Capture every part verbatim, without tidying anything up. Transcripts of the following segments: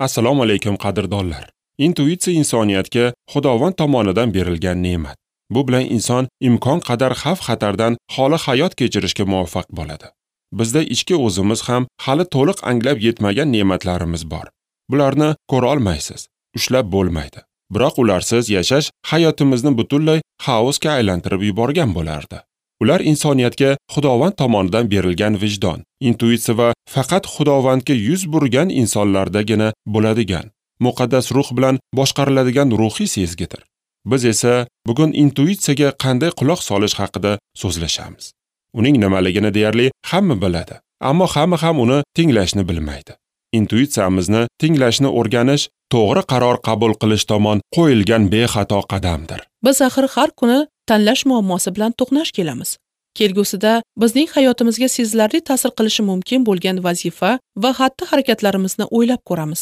Assalomu alaykum qadrdonlar. Intuitsiya insoniyatga Xudovand tomonidan berilgan ne'mat. Bu bilan inson imkon qadar xavf-xatardan xoli hayot kechirishga muvaffaq bo'ladi. Bizda ichki o'zimiz ham hali to'liq anglab yetmagan ne'matlarimiz bor. Bularni ko'ra olmaysiz, ushlab bo'lmaydi. Biroq ularsiz yashash hayotimizni butunlay xaosga aylantirib yuborgan bo'lardi. Ular insoniyatga Xudovand tomonidan berilgan vijdon, intuitsiya va faqat Xudovandga yuz burgan insonlardagina bo'ladigan, muqaddas ruh bilan boshqariladigan ruhiy sezgidir. Biz esa bugun intuitsiyaga qanday quloq solish haqida so'zlashamiz. Uning nimaligini deyarli hamma biladi, ammo hamma ham uni tinglashni bilmaydi. Intuitsiyamizni tinglashni o'rganish to'g'ri qaror qabul qilish tomon qo'yilgan bexato qadamdir. Biz axir har kuni tanlash muammosi bilan to'qnash kelamiz. Kelgusida bizning hayotimizga sezilarli ta'sir qilishi mumkin bo'lgan vazifa va xatti-harakatlarimizni o'ylab ko'ramiz.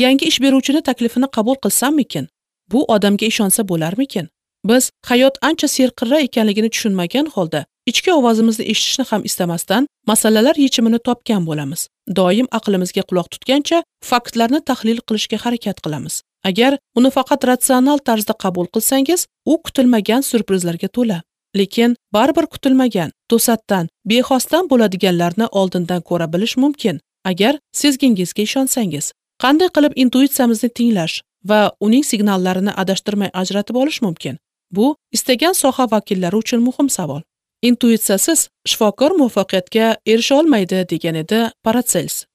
Yangi ish beruvchini taklifini qabul qilsammikin? Bu odamga ishonsa bo'larmikin? Biz hayot ancha serqirra ekanligini tushunmagan holda ichki ovozimizni eshitishni ham istamasdan masalalar yechimini topgan bo'lamiz. Doim aqlimizga quloq tutgancha faktlarni tahlil qilishga harakat qilamiz. Agar uni faqat ratsional tarzda qabul qilsangiz, u kutilmagan syurprizlarga to'la. Lekin baribir kutilmagan, to'satdan, bexosdan bo'ladiganlarni oldindan ko'ra bilish mumkin, agar sezgingizga ishonsangiz. Qanday qilib intuitsiyamizni tinglash va uning signallarini adashtirmay ajratib olish mumkin? Bu istagan soha vakillari uchun muhim savol. Intuitsiyasiz shifokor muvaffaqiyatga erisha olmaydi, degan edi Paracels.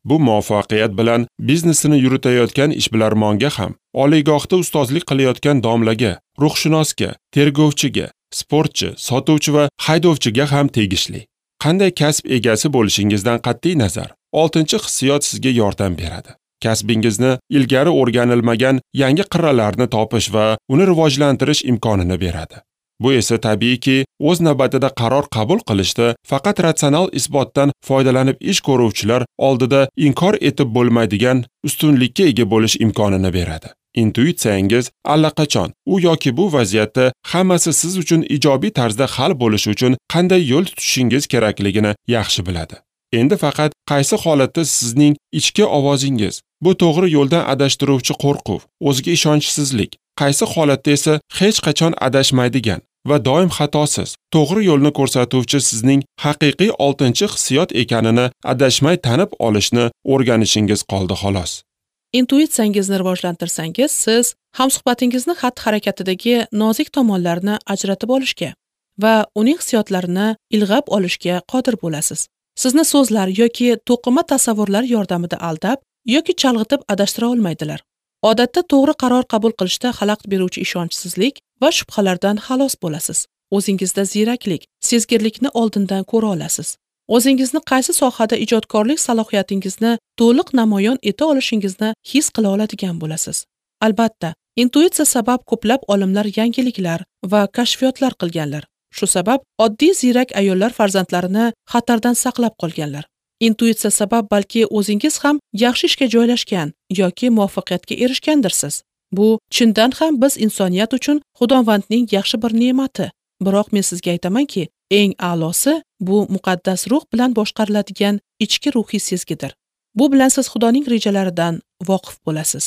Bu muvaffaqiyat bilan biznesini yuritayotgan ishbilarmonga ham, oliygohda ustozlik qilayotgan domlaga, ruhshunosga, tergovchiga, sportchi, sotuvchi va haydovchiga ham tegishli. Qanday kasb egasi bo'lishingizdan qat'iy nazar, oltinchi hissiyot sizga yordam beradi. Kasbingizni ilgari o'rganilmagan yangi qirralarni topish va uni rivojlantirish imkonini beradi. Bu esa tabiiyki, o'z navbatida qaror qabul qilishda faqat ratsional isbotdan foydalanib ish ko'ruvchilar oldida inkor etib bo'lmaydigan ustunlikka ega bo'lish imkonini beradi. Intuitsiyangiz allaqachon u yoki bu vaziyatda hammasi siz uchun ijobiy tarzda hal bo'lishi uchun qanday yo'l tutishingiz kerakligini yaxshi biladi. Endi faqat qaysi holatda sizning ichki ovozingiz, bu to'g'ri yo'ldan adashtiruvchi qo'rquv, o'ziga ishonchsizlik, qaysi holatda esa hech qachon adashmaydigan va doim xatosiz, to'g'ri yo'lni ko'rsatuvchi sizning haqiqiy oltinchi hissiyot ekanini adashmay tanib olishni o'rganishingiz qoldi xolos. Intuitsiyangizni rivojlantirsangiz, siz hamsuhbatingizni xatti-harakatidagi nozik tomonlarni ajratib olishga va uning hissiyotlarini ilg'ab olishga qodir bo'lasiz. Sizni so'zlar yoki to'qima tasavvurlar yordamida aldab yoki chalg'itib adashtira olmaydilar. Odatda to'g'ri qaror qabul qilishda xalaqit beruvchi ishonchsizlik va shubhalardan xalos bo'lasiz. O'zingizda ziyraklik, sezgirlikni oldindan ko'ra olasiz. O'zingizni qaysi sohada ijodkorlik salohiyatingizni to'liq namoyon eta olishingizni his qila oladigan bo'lasiz. Albatta, intuitsiya sabab ko'plab olimlar yangiliklar va kashfiyotlar qilganlar. Shu sabab oddiy ziyrak ayollar farzandlarini xatardan saqlab qolganlar. Intuitsiya sabab balki o'zingiz ham yaxshi ishga joylashgan yoki muvaffaqiyatga erishgandirsiz. Bu chindan ham biz insoniyat uchun Xudovandning yaxshi bir ne'mati. Biroq men sizga aytamanki, eng a'losi bu muqaddas ruh bilan boshqariladigan ichki ruhiy sezgidir. Bu bilan siz Xudoning rejalaridan voqif bo'lasiz.